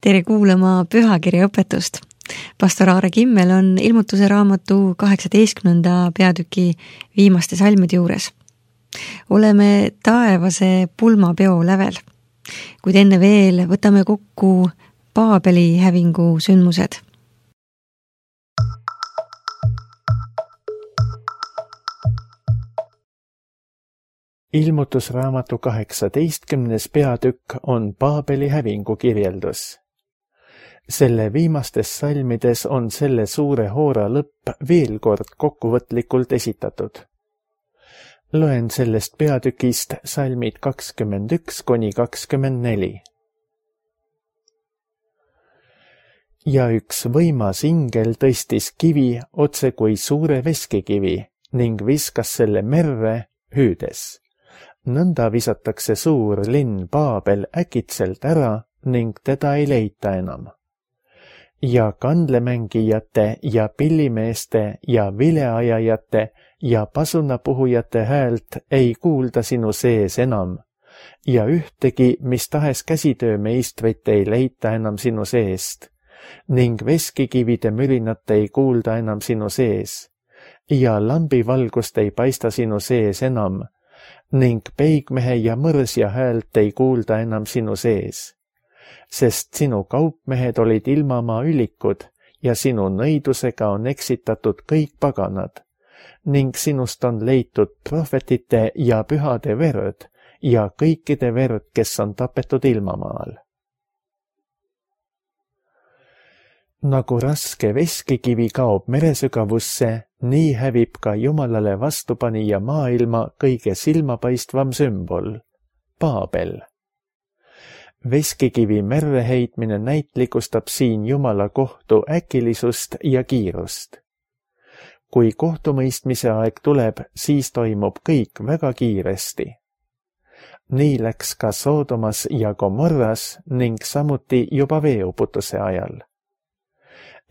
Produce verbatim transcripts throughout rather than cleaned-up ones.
tere kuulama pühakirja õpetust. Pastor Aare Kimmel on ilmutuse raamatu kaheksateistkümnenda peatüki viimaste salmide juures. Oleme taevase pulmapeo lävel, kuid enne veel võtame kokku Paabeli hävingu sündmused. Ilmutusraamatu kaheksateistkümnes peatükk on Paabeli hävingu kirjeldus. Selle viimastes salmides on selle suure hoora lõpp veel kord kokkuvõtlikult esitatud. Loen sellest peatükist salmid kakskümmend üks kuni kakskümmend neli. Ja üks võimas ingel tõstis kivi otse kui suure veskikivi ning viskas selle merre hüüdes. Nõnda visatakse suur linn Paabel äkitselt ära ning teda ei leita enam. Ja kandlemängijate ja pillimeeste ja vileajajate ja pasunapuhujate häält ei kuulda sinu sees enam ja ühtegi, mis tahes käsitöömeistrit ei leita enam sinu seest ning veskikivide mürinat ei kuulda enam sinu sees ja lambivalgust ei paista sinu sees enam ning peigmehe ja mõrsja häält ei kuulda enam sinu sees, sest sinu kaupmehed olid ilmamaa ülikud ja sinu nõidusega on eksitatud kõik paganad ning sinust on leitud prohvetite ja pühade verd ja kõikide verd, kes on tapetud ilmamaal. Nagu raske veskikivi kaob meresügavusse, nii hävib ka Jumalale vastupanija maailma kõige silmapaistvam sümbol, Paabel. Veskikivi merre heitmine näitlikustab siin Jumala kohtu äkilisust ja kiirust. Kui kohtumõistmise aeg tuleb, siis toimub kõik väga kiiresti. Nii läks ka Soodomas ja Gomorras ning samuti juba veeuputuse ajal.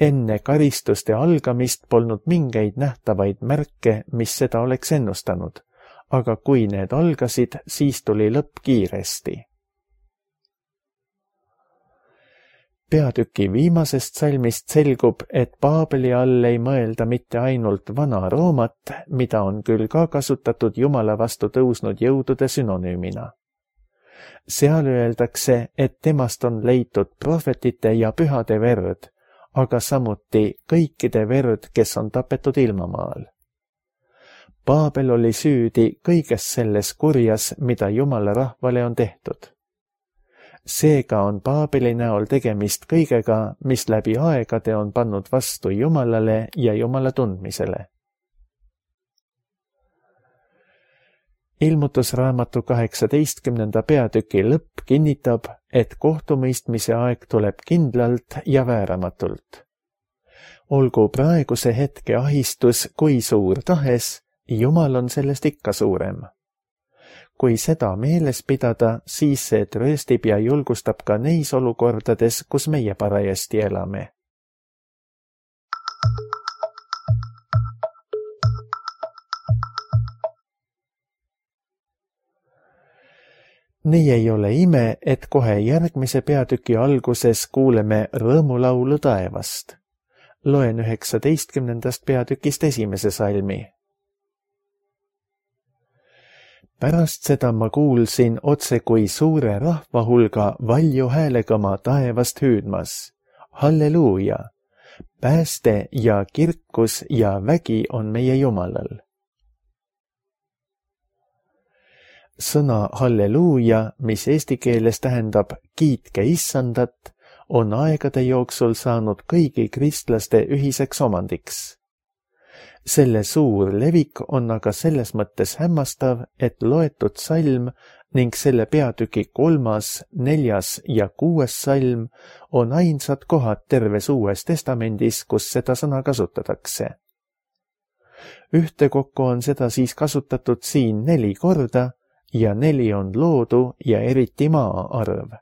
Enne karistuste algamist polnud mingeid nähtavaid märke, mis seda oleks ennustanud, aga kui need algasid, siis tuli lõpp kiiresti. Peatüki viimasest salmist selgub, et Paabeli all ei mõelda mitte ainult vana Roomat, mida on küll ka kasutatud Jumala vastu tõusnud jõudude sünonüümina. Seal öeldakse, et temast on leitud prohvetite ja pühade verd, aga samuti kõikide verd, kes on tapetud ilmamaal. Paabel oli süüdi kõiges selles kurjas, mida Jumala rahvale on tehtud. Seega on Paabeli näol tegemist kõigega, mis läbi aegade on pannud vastu Jumalale ja Jumala tundmisele. Ilmutusraamatu kaheksateistkümnenda peatüki lõpp kinnitab, et kohtumõistmise aeg tuleb kindlalt ja vääramatult. Olgu praeguse hetke ahistus kui suur tahes, Jumal on sellest ikka suurem. Kui seda meeles pidada, siis see trööstib ja julgustab ka neis olukordades, kus meie parajasti elame. Nii ei ole ime, et kohe järgmise peatüki alguses kuuleme rõõmulaulu taevast. Loen üheksateistkümnendast peatükist esimese salmi. Pärast seda ma kuulsin otse kui suure rahvahulga valju häälega ma taevast hüüdmas. Halleluuja! Pääste ja kirkus ja vägi on meie Jumalal. Sõna halleluuja, mis eesti keeles tähendab kiitke issandat, on aegade jooksul saanud kõigi kristlaste ühiseks omandiks. Selle suur levik on aga selles mõttes hämmastav, et loetud salm ning selle peatüki kolmas, neljas ja kuues salm on ainsad kohad terves Uues Testamendis, kus seda sõna kasutatakse. Ühtekokku on seda siis kasutatud siin neli korda, ja neli on loodu ja eriti maa arv.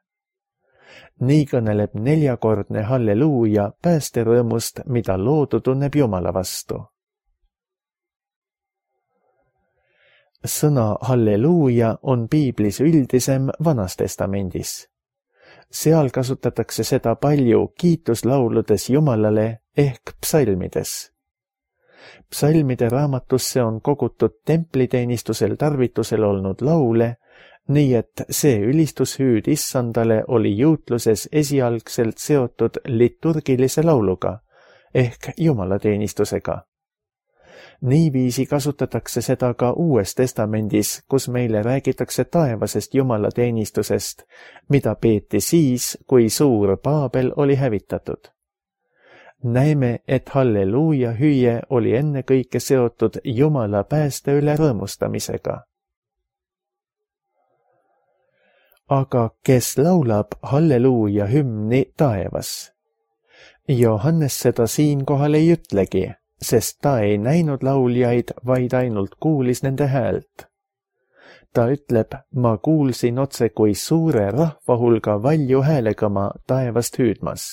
Nii kõneleb neljakordne halleluuja päästerõõmust, mida loodu tunneb Jumala vastu. Sõna halleluuja on piiblis üldisem Vanas Testamendis. seal kasutatakse seda palju kiituslauludes Jumalale ehk psalmides. Psalmide raamatusse on kogutud templiteenistusel tarvitusel olnud laule, nii et see ülistushüüd issandale oli juutluses esialgselt seotud liturgilise lauluga ehk jumalateenistusega. Niiviisi kasutatakse seda ka Uues Testamendis, kus meile räägitakse taevasest jumalateenistusest, mida peeti siis, kui suur Paabel oli hävitatud. Näeme, et halleluuja hüüe oli ennekõike seotud Jumala pääste üle rõõmustamisega. Aga kes laulab halleluuja hümni taevas? Johannes seda siinkohal ei ütlegi, sest ta ei näinud lauljaid, vaid ainult kuulis nende häält. Ta ütleb, ma kuulsin otse kui suure rahvahulga valju häälega ma taevast hüüdmas.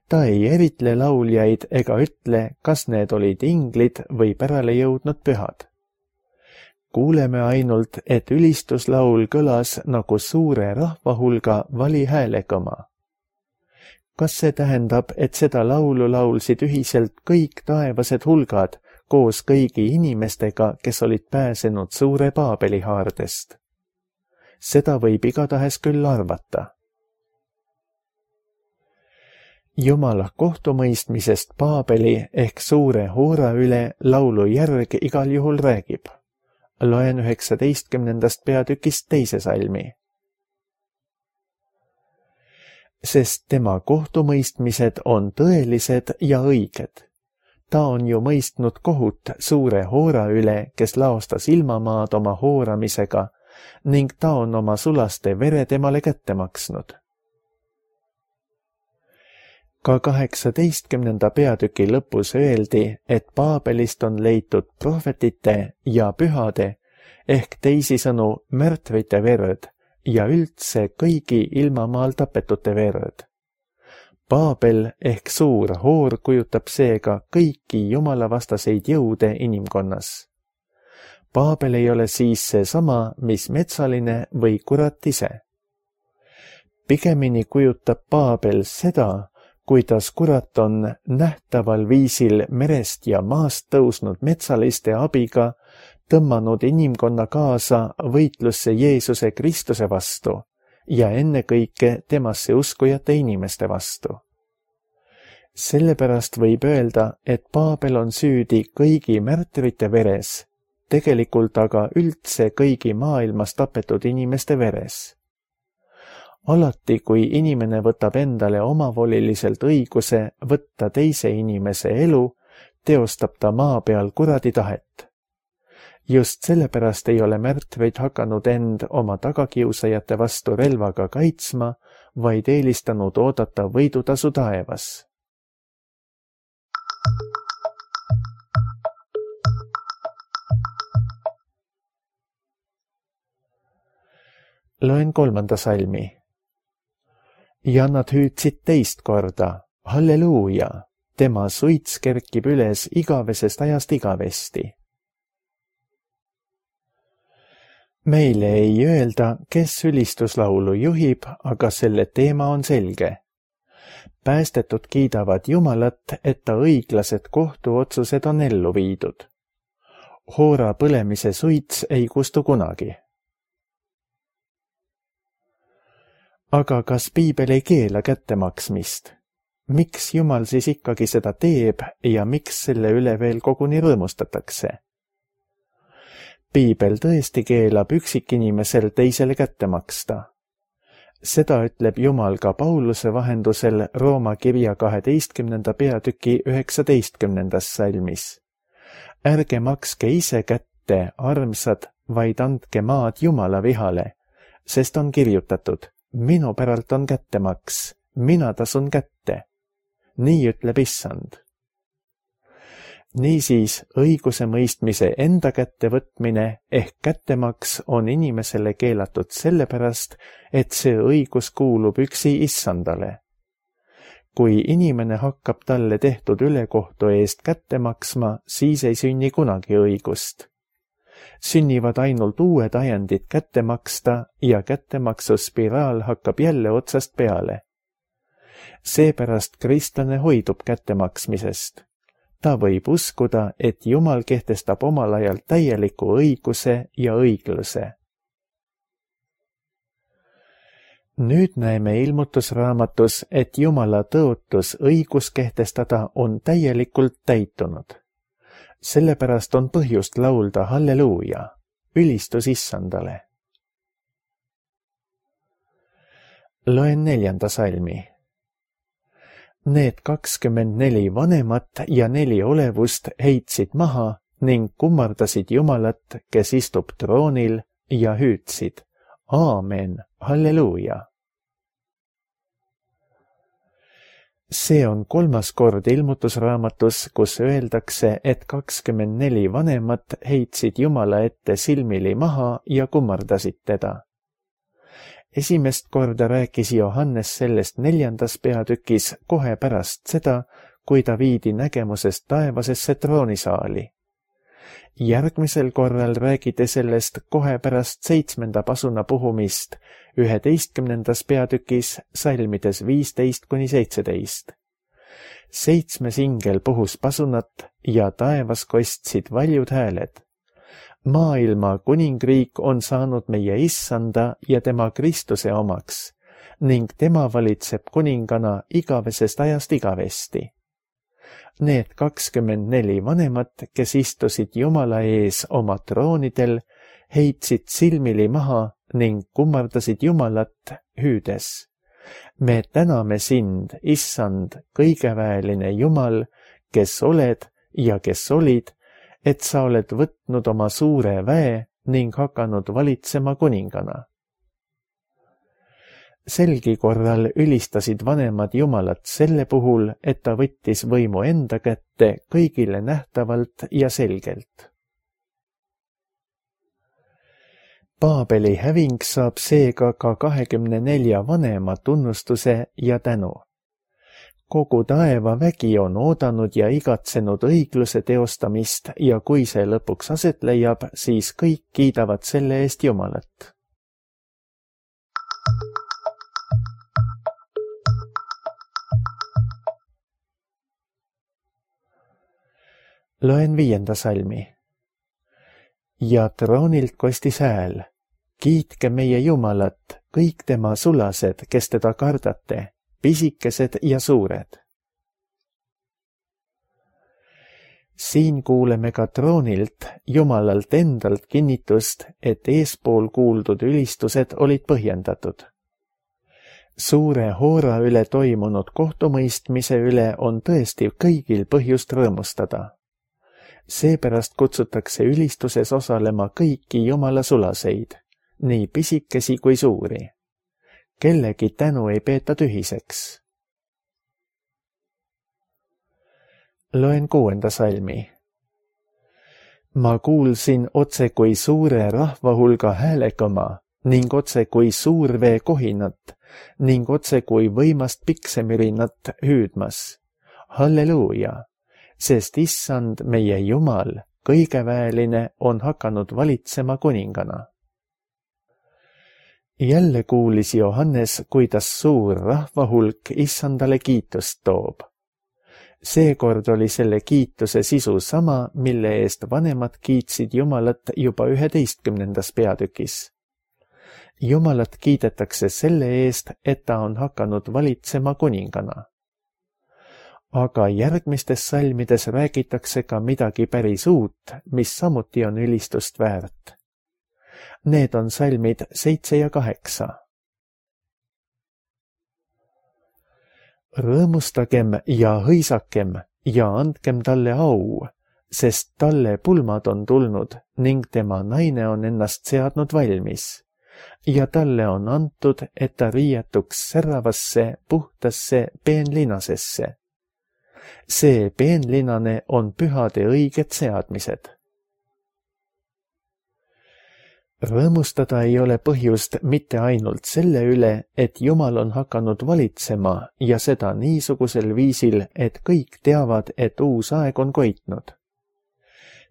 Ta ei eritle lauljaid ega ütle, kas need olid inglid või pärale jõudnud pühad. Kuuleme ainult, et ülistuslaul kõlas nagu suure rahvahulga vali häälegama. Kas see tähendab, et seda laulu laulsid ühiselt kõik taevased hulgad koos kõigi inimestega, kes olid pääsenud suure Paabeli haardest? Seda võib igatahes küll arvata. Jumala kohtumõistmisest Paabeli ehk suure hoora üle laulu järg igal juhul räägib. Loen üheksateistkümnendast peatükist teise salmi. Sest tema kohtumõistmised on tõelised ja õiged. Ta on ju mõistnud kohut suure hoora üle, kes laostas ilmamaad oma hooramisega ning ta on oma sulaste vere temale kätte maksnud. Ka kaheksateistkümnenda peatüki lõpus öeldi, et Paabelist on leitud prohvetite ja pühade ehk teisisõnu märtvite verd ja üldse kõigi ilmamaal tapetute verd. Paabel ehk suur hoor kujutab seega kõiki jumalavastaseid jõude inimkonnas. Paabel ei ole siis seesama, mis metsaline või kurat ise. Pigemini kujutab Paabel seda, kuidas kurat on nähtaval viisil merest ja maast tõusnud metsaliste abiga tõmmanud inimkonna kaasa võitlusse Jeesuse Kristuse vastu ja ennekõike temasse uskujate inimeste vastu. Sellepärast võib öelda, et Paabel on süüdi kõigi märtrite veres, tegelikult aga üldse kõigi maailmas tapetud inimeste veres. Alati, kui inimene võtab endale omavoliliselt õiguse võtta teise inimese elu, teostab ta maa peal kuradi tahet. Just sellepärast ei ole märtveid hakanud end oma tagakiusajate vastu relvaga kaitsma, vaid eelistanud oodata võidutasu taevas. Loen kolmanda salmi. Ja nad hüüdsid teist korda, halleluuja, tema suits kerkib üles igavesest ajast igavesti. Meile ei öelda, kes ülistuslaulu juhib, aga selle teema on selge. Päästetud kiidavad Jumalat, et ta õiglased kohtuotsused on ellu viidud. Hoora põlemise suits ei kustu kunagi. Aga kas Piibel ei keela kättemaksmist? Miks Jumal siis ikkagi seda teeb ja miks selle üle veel koguni rõõmustatakse? Piibel tõesti keelab üksikinimesel teisele kätte maksta. Seda ütleb Jumal ka Pauluse vahendusel Rooma kirja kaheteistkümnenda peatüki üheksateistkümnendas salmis. Ärge makske ise kätte, armsad, vaid andke maad Jumala vihale, sest on kirjutatud, minu päralt on kättemaks, mina tasun kätte. Nii ütleb issand. Niisiis, õiguse mõistmise enda kätte võtmine ehk kättemaks on inimesele keelatud sellepärast, et see õigus kuulub üksi issandale. Kui inimene hakkab talle tehtud ülekohtu eest kätte maksma, siis ei sünni kunagi õigust. sünnivad ainult uued ajendid kätte maksta ja kättemaksuspiraal hakkab jälle otsast peale. Seepärast kristlane hoidub kättemaksmisest. Ta võib uskuda, et Jumal kehtestab omal ajal täieliku õiguse ja õigluse. Nüüd näeme ilmutusraamatus, et Jumala tõotus õigus kehtestada on täielikult täitunud. Sellepärast on põhjust laulda halleluuja, ülistus Issandale. Loen neljanda salmi. Need kakskümmend neli vanemat ja neli olevust heitsid maha ning kummardasid Jumalat, kes istub troonil, ja hüüdsid: Aamen, halleluuja. See on kolmas kord ilmutusraamatus, kus öeldakse, et kakskümmend neli vanemat heitsid Jumala ette silmili maha ja kummardasid teda. Esimest korda rääkis Johannes sellest neljandas peatükis kohe pärast seda, kui ta viidi nägemusest taevasesse troonisaali. Järgmisel korral räägiti sellest kohe pärast seitsmenda pasuna puhumist üheteistkümnendas peatükis salmides viisteist kuni seitseteist. Seitsmes ingel puhus pasunat ja taevas kostsid valjud hääled. Maailma kuningriik on saanud meie Issanda ja tema Kristuse omaks ning tema valitseb kuningana igavesest ajast igavesti. Need kakskümmend neli vanemat, kes istusid Jumala ees oma troonidel, heitsid silmili maha ning kummardasid Jumalat hüüdes: Me täname sind, Issand, kõigeväeline Jumal, kes oled ja kes olid, et sa oled võtnud oma suure väe ning hakanud valitsema kuningana. Selgi korral ülistasid vanemad Jumalat selle puhul, et ta võttis võimu enda kätte kõigile nähtavalt ja selgelt. Paabeli häving saab seega ka kahekümne nelja vanema tunnustuse ja tänu. Kogu taeva vägi on oodanud ja igatsenud õigluse teostamist ja kui see lõpuks aset leiab, siis kõik kiidavad selle eest Jumalat. Loen viienda salmi. Ja troonilt kostis hääl: Kiitke meie Jumalat, kõik tema sulased, kes teda kardate, pisikesed ja suured. Siin kuuleme ka troonilt, Jumalalt endalt kinnitust, et eespool kuuldud ülistused olid põhjendatud. Suure hoora üle toimunud kohtumõistmise üle on tõesti kõigil põhjust rõõmustada. Seepärast kutsutakse ülistuses osalema kõiki Jumala sulaseid, nii pisikesi kui suuri. Kellegi tänu ei peeta tühiseks. Loen kuuenda salmi. Ma kuulsin otse kui suure rahvahulga häälekõma ning otse kui suurvee kohinat ning otse kui võimast piksemürinat hüüdmas: Halleluuja, sest Issand meie Jumal, kõigeväeline, on hakanud valitsema kuningana. Jälle kuulis Johannes, kuidas suur rahvahulk Issandale kiitust toob. Seekord oli selle kiituse sisu sama, mille eest vanemad kiitsid Jumalat juba üheteistkümnendas peatükis. Jumalat kiidetakse selle eest, et ta on hakanud valitsema kuningana. Aga järgmistes salmides räägitakse ka midagi päris uut, mis samuti on ülistust väärt. Need on salmid seitse ja kaheksa. Rõõmustagem ja hõisakem ja andkem talle au, sest talle pulmad on tulnud ning tema naine on ennast seadnud valmis. Ja talle on antud, et ta riietuks säravasse, puhtasse peenlinasesse. See peenlinane on pühade õiged seadmised. Rõõmustada ei ole põhjust mitte ainult selle üle, et Jumal on hakanud valitsema ja seda niisugusel viisil, et kõik teavad, et uus aeg on koitnud.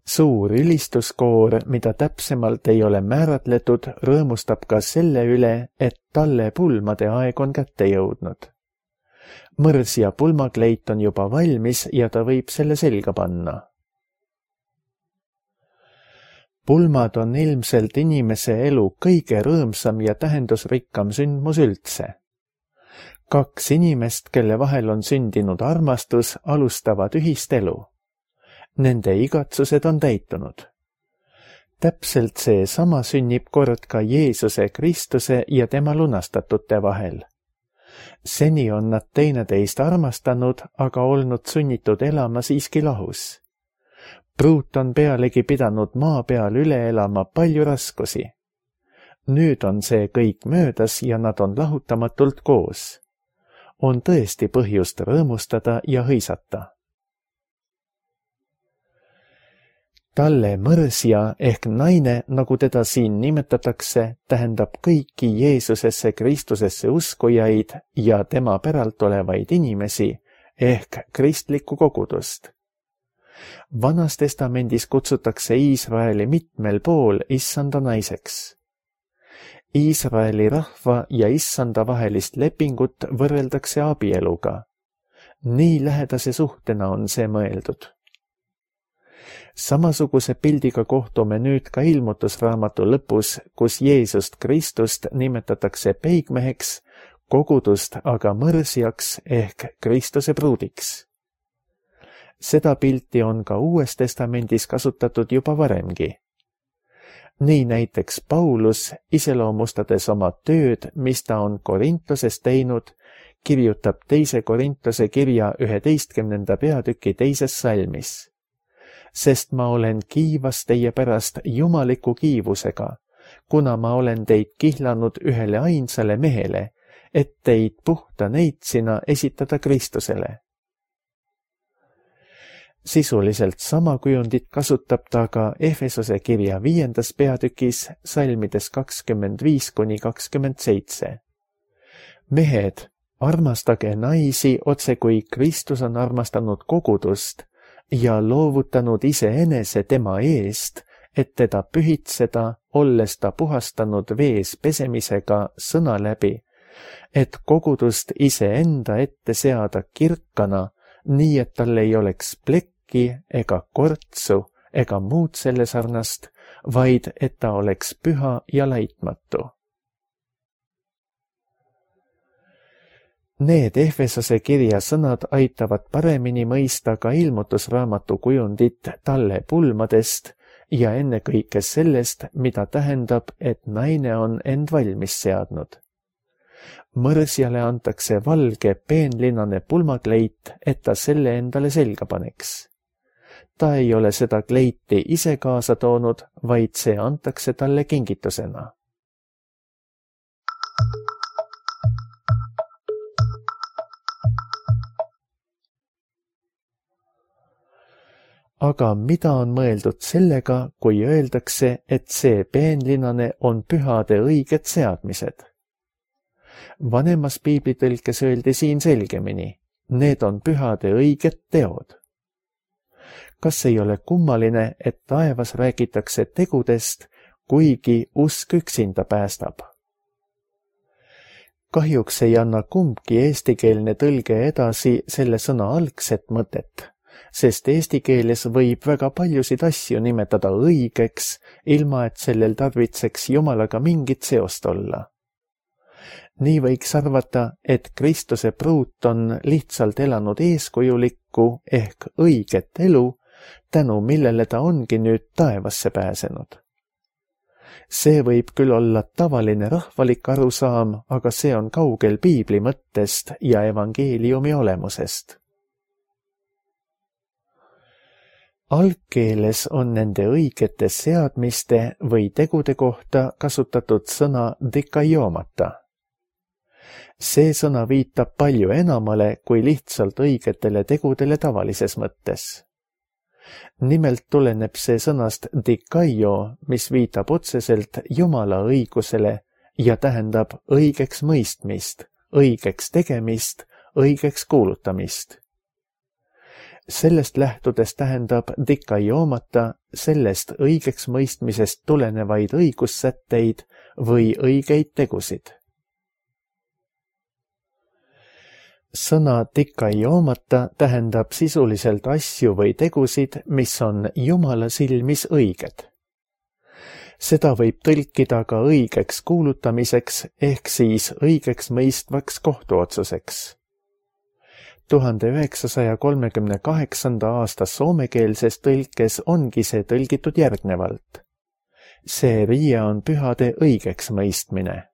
suur ülistuskoor, mida täpsemalt ei ole määratletud, rõõmustab ka selle üle, et talle pulmade aeg on kätte jõudnud. Mõrs ja pulmakleit on juba valmis ja ta võib selle selga panna. Pulmad on ilmselt inimese elu kõige rõõmsam ja tähendusrikkam sündmus üldse. Kaks inimest, kelle vahel on sündinud armastus, alustavad ühist elu. Nende igatsused on täitunud. Täpselt see sama sünnib kord ka Jeesuse Kristuse ja tema lunastatute vahel. Seni on nad teineteist armastanud, aga olnud sunnitud elama siiski lahus. Pruut on pealegi pidanud maa peal üle elama palju raskusi. Nüüd on see kõik möödas ja nad on lahutamatult koos. On tõesti põhjust rõõmustada ja hõisata. Talle mõrsja ehk naine, nagu teda siin nimetatakse, tähendab kõiki Jeesusesse Kristusesse uskujaid ja tema päralt olevaid inimesi ehk kristlikku kogudust. Vanas testamendis kutsutakse Iisraeli mitmel pool issanda naiseks. Iisraeli rahva ja issanda vahelist lepingut võrreldakse abieluga. Nii lähedase suhtena on see mõeldud. Samasuguse pildiga kohtume nüüd ka ilmutusraamatu lõpus, kus Jeesust Kristust nimetatakse peigmeheks, kogudust aga mõrsjaks ehk Kristuse pruudiks. Seda pilti on ka Uues Testamendis kasutatud juba varemgi. Nii näiteks Paulus, iseloomustades oma tööd, mis ta on Korintoses teinud, kirjutab teise Korintose kirja üheteistkümnenda peatüki teises salmis. Sest ma olen kiivas teie pärast jumaliku kiivusega, kuna ma olen teid kihlanud ühele ainsale mehele, et teid puhta neitsina esitada Kristusele. Sisuliselt sama kujundit kasutab ta ka Efesose kirja viiendas peatükis salmides kakskümmend viis kuni kakskümmend seitse. Mehed, armastage naisi otse kui Kristus on armastanud kogudust ja loovutanud iseenese tema eest, et teda pühitseda, olles ta puhastanud vees pesemisega sõna läbi, et kogudust iseenda ette seada kirkana, nii et tal ei oleks plekki ega kortsu ega muud selle sarnast, vaid et ta oleks püha ja laitmatu. Need Efesose kirja sõnad aitavad paremini mõista ka ilmutusraamatu kujundit talle pulmadest ja ennekõike sellest, mida tähendab, et naine on end valmis seadnud. Mõrsjale antakse valge peenlinane pulmakleit, et ta selle endale selga paneks. Ta ei ole seda kleiti ise kaasa toonud, vaid see antakse talle kingitusena. Aga mida on mõeldud sellega, kui öeldakse, et see peenlinane on pühade õiged seadmised? Vanemas piiblitõlkes öeldi siin selgemini, need on pühade õiged teod. Kas ei ole kummaline, et taevas räägitakse tegudest, kuigi usk üksinda päästab? Kahjuks ei anna kumbki eestikeelne tõlge edasi selle sõna algset mõtet, sest eesti keeles võib väga paljusid asju nimetada õigeks, ilma et sellel tarvitseks Jumalaga mingit seost olla. Nii võiks arvata, et Kristuse pruut on lihtsalt elanud eeskujulikku ehk õiget elu, tänu millele ta ongi nüüd taevasse pääsenud. See võib küll olla tavaline rahvalik arusaam, aga see on kaugel piibli mõttest ja evangeeliumi olemusest. Algkeeles on nende õigete seadmiste või tegude kohta kasutatud sõna dikaiomata. See sõna viitab palju enamale kui lihtsalt õigetele tegudele tavalises mõttes. Nimelt tuleneb see sõnast dikaio, mis viitab otseselt Jumala õigusele ja tähendab õigeks mõistmist, õigeks tegemist, õigeks kuulutamist. Sellest lähtudes tähendab dikaioomata sellest õigeks mõistmisest tulenevaid õigussätteid või õigeid tegusid. Sõna dikaioomata tähendab sisuliselt asju või tegusid, mis on Jumala silmis õiged. Seda võib tõlkida ka õigeks kuulutamiseks ehk siis õigeks mõistvaks kohtuotsuseks. tuhande üheksasaja kolmekümne kaheksanda aasta soomekeelses tõlkes ongi see tõlgitud järgnevalt. See riie on pühade õigeks mõistmine.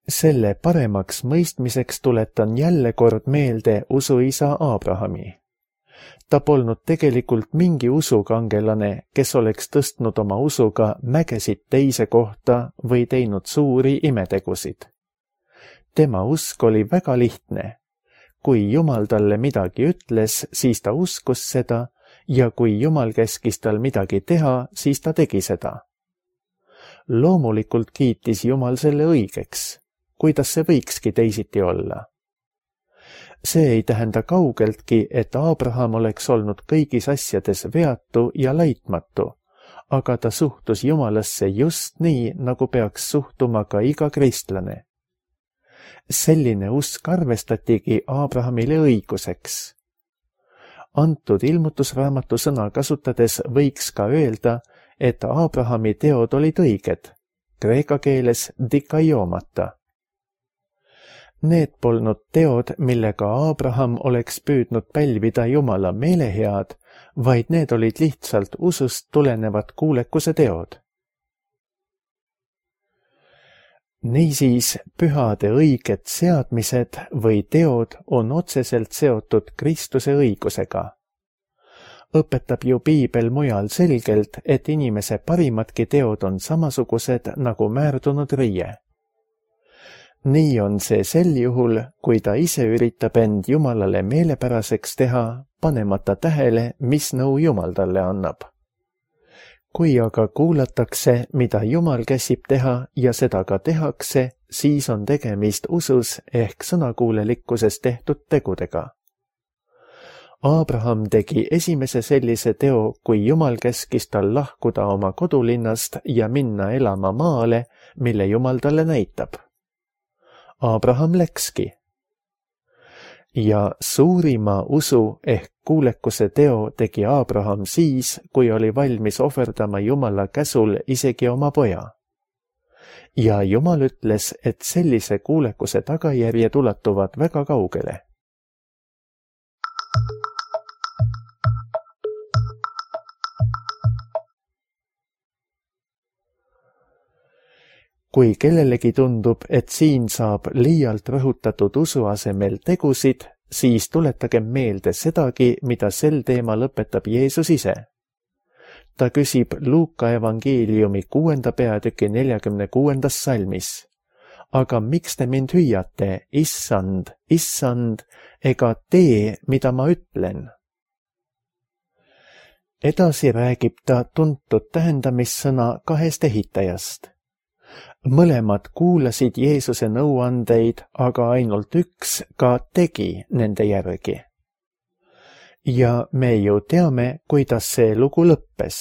Selle paremaks mõistmiseks tuletan jälle kord meelde usuisa Abrahami. Ta polnud tegelikult mingi usukangelane, kes oleks tõstnud oma usuga mägesid teise kohta või teinud suuri imetegusid. Tema usk oli väga lihtne. Kui Jumal talle midagi ütles, siis ta uskus seda ja kui Jumal käskis tal midagi teha, siis ta tegi seda. Loomulikult kiitis Jumal selle õigeks. Kuidas see võikski teisiti olla? See ei tähenda kaugeltki, et Abraham oleks olnud kõigis asjades veatu ja laitmatu, aga ta suhtus Jumalasse just nii, nagu peaks suhtuma ka iga kristlane. Selline usk arvestatigi Abrahamile õiguseks. Antud ilmutusraamatu sõna kasutades võiks ka öelda, et Abrahami teod olid õiged, kreeka keeles dikaiomata. Need polnud teod, millega Abraham oleks püüdnud pälvida Jumala meelehead, vaid need olid lihtsalt usust tulenevad kuulekuse teod. Niisiis, pühade õiged seadmised või teod on otseselt seotud Kristuse õigusega. Õpetab ju Piibel mujal selgelt, et inimese parimadki teod on samasugused nagu määrdunud riie. Nii on see sel juhul, kui ta ise üritab end Jumalale meelepäraseks teha, panemata tähele, mis nõu Jumal talle annab. Kui aga kuulatakse, mida Jumal käsib teha ja seda ka tehakse, siis on tegemist usus ehk sõnakuulelikkuses tehtud tegudega. Abraham tegi esimese sellise teo, kui Jumal käskis tal lahkuda oma kodulinnast ja minna elama maale, mille Jumal talle näitab. Abraham läkski. Ja suurima usu ehk kuulekuse teo tegi Abraham siis, kui oli valmis ohverdama Jumala käsul isegi oma poja. Ja Jumal ütles, et sellise kuulekuse tagajärjed ulatuvad väga kaugele. Kui kellelegi tundub, et siin saab liialt rõhutatud usu asemel tegusid, siis tuletagem meelde sedagi, mida sel teemal õpetab Jeesus ise. Ta küsib Luuka evangeeliumi kuuenda peatüki neljakümne kuuendas salmis. Aga miks te mind hüüate, issand, issand, ega tee, mida ma ütlen? Edasi räägib ta tuntud tähendamissõna kahest ehitajast. Mõlemad kuulasid Jeesuse nõuandeid, aga ainult üks ka tegi nende järgi. Ja me ju teame, kuidas see lugu lõppes.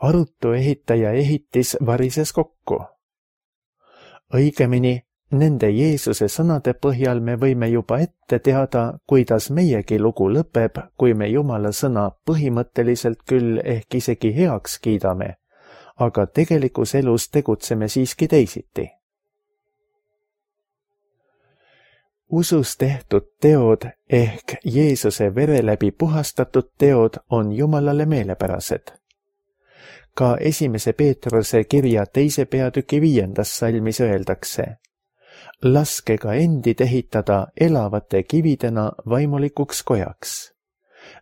Arutu ehitaja ehitis varises kokku. Õigemini, nende Jeesuse sõnade põhjal me võime juba ette teada, kuidas meiegi lugu lõpeb, kui me Jumala sõna põhimõtteliselt küll ehk isegi heaks kiidame, aga tegelikus elus tegutseme siiski teisiti. Usus tehtud teod ehk Jeesuse vere läbi puhastatud teod on Jumalale meelepärased. Ka esimese Peetruse kirja teise peatüki viiendas salmis öeldakse: laske ka endid ehitada elavate kividena vaimulikuks kojaks.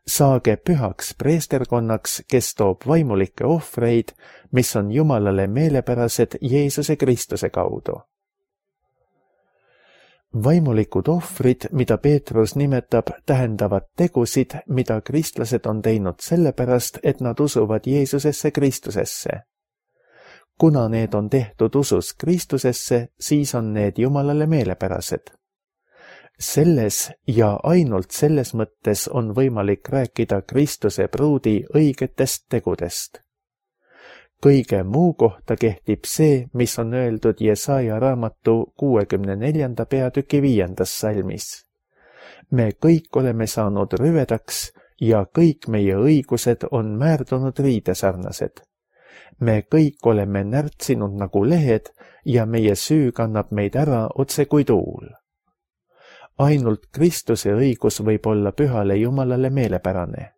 Saage pühaks preesterkonnaks, kes toob vaimulikke ohvreid, mis on Jumalale meelepärased Jeesuse Kristuse kaudu. Vaimulikud ohvrid, mida Peetrus nimetab, tähendavad tegusid, mida kristlased on teinud sellepärast, et nad usuvad Jeesusesse Kristusesse. Kuna need on tehtud usus Kristusesse, siis on need Jumalale meelepärased. selles ja ainult selles mõttes on võimalik rääkida Kristuse pruudi õigetest tegudest. Kõige muu kohta kehtib see, mis on öeldud Jesaja raamatu kuuekümne neljanda peatüki viiendas salmis. Me kõik oleme saanud rüvedaks ja kõik meie õigused on määrdunud riidesarnased. Me kõik oleme närtsinud nagu lehed ja meie süü kannab meid ära otse kui tuul. Ainult Kristuse õigus võib olla pühale Jumalale meelepärane.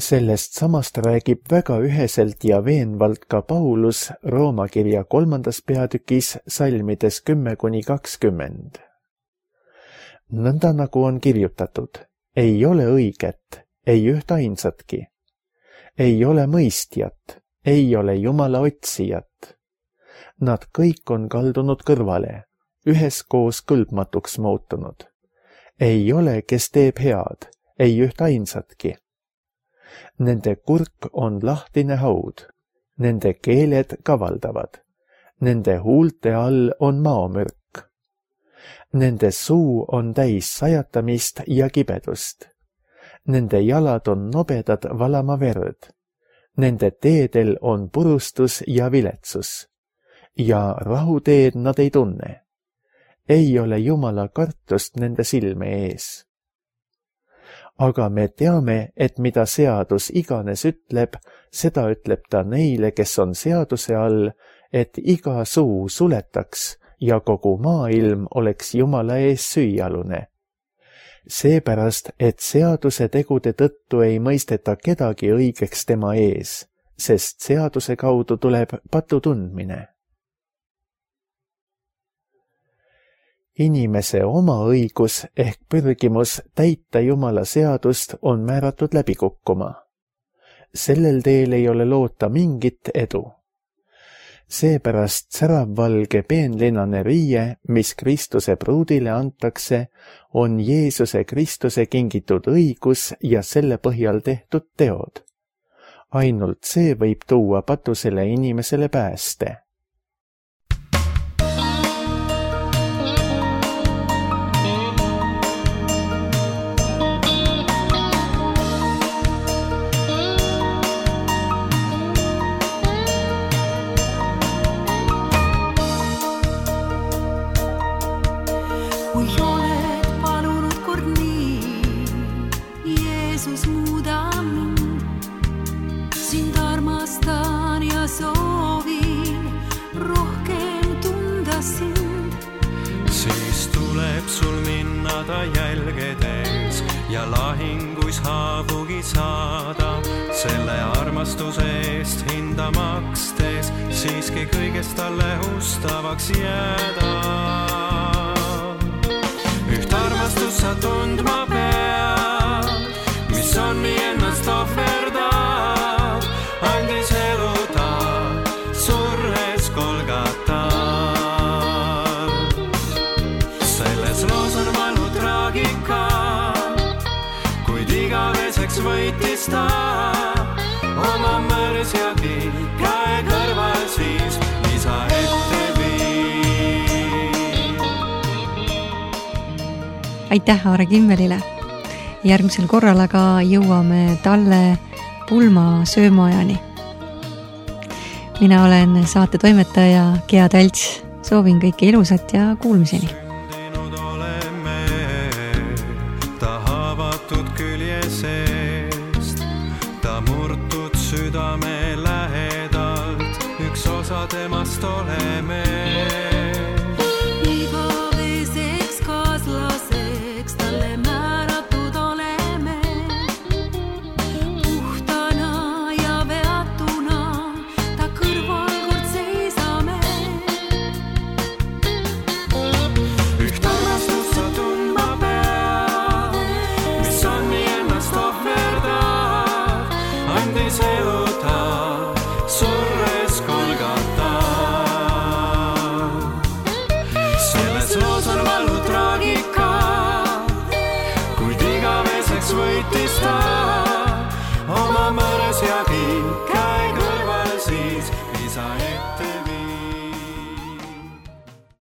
Sellest samast räägib väga üheselt ja veenvalt ka Paulus Rooma kirja kolmandas peatükis salmides kümme kuni kakskümmend. Nõnda nagu on kirjutatud, ei ole õiget, ei üht ainsatki. Ei ole mõistjat, ei ole Jumala otsijat. Nad kõik on kaldunud kõrvale, üheskoos kõlbmatuks muutunud. Ei ole, kes teeb head, ei üht ainsatki. Nende kurk on lahtine haud, nende keeled kavaldavad, nende huulte all on maomürk. Nende suu on täis sajatamist ja kibedust. Nende jalad on nobedad valama verd. Nende teedel on purustus ja viletsus. Ja rahuteed nad ei tunne. Ei ole Jumala kartust nende silme ees. Aga me teame, et mida seadus iganes ütleb, seda ütleb ta neile, kes on seaduse all, et iga suu suletaks ja kogu maailm oleks Jumala ees süüalune. Seepärast, et seaduse tegude tõttu ei mõisteta kedagi õigeks tema ees, sest seaduse kaudu tuleb patu tundmine. Inimese oma õigus ehk pürgimus täita Jumala seadust on määratud läbi kukkuma. Sellel teel ei ole loota mingit edu. Seepärast säravvalge peenlinane riie, mis Kristuse pruudile antakse, on Jeesuse Kristuse kingitud õigus ja selle põhjal tehtud teod. Ainult see võib tuua patusele inimesele pääste. Kui oled palunud kord nii, Jeesus muuda mind. Sind armastan ja soovin rohkem tunda sind. Siis tuleb sul minna ta jälgedes ja lahinguis haavugi saada. Selle armastuse eest hinda makstes siiski kõigest talle ustavaks jääda. Üht armastus sa tundma pead, mis on nii ennast ohverdab, andis elu ta surres Golgatal. Selles loos on valu traagika, kuid igaveseks võitis ta oma mõrsjagi käe kõrval siis isa ette viis. Aitäh Aare Kimmelile. Järgmisel korral aga jõuame talle pulma söömaajani. Mina olen saate toimetaja Gea Talts. Soovin kõike ilusat ja kuulmiseni. Sündinud oleme ta haavatud külje seest, ta murtud südame lähedalt, üks osa temast oleme. Igaveseks kaaslaseks talle määratud oleme. Puhtana ja veatuna ta kõrval kord seisame. Üht armastust sa tundma pead, mis on nii ennast ohverdab, andis elu ta surres Golgatal. Selles loos on valu traagika, kuid igaveseks võitis ta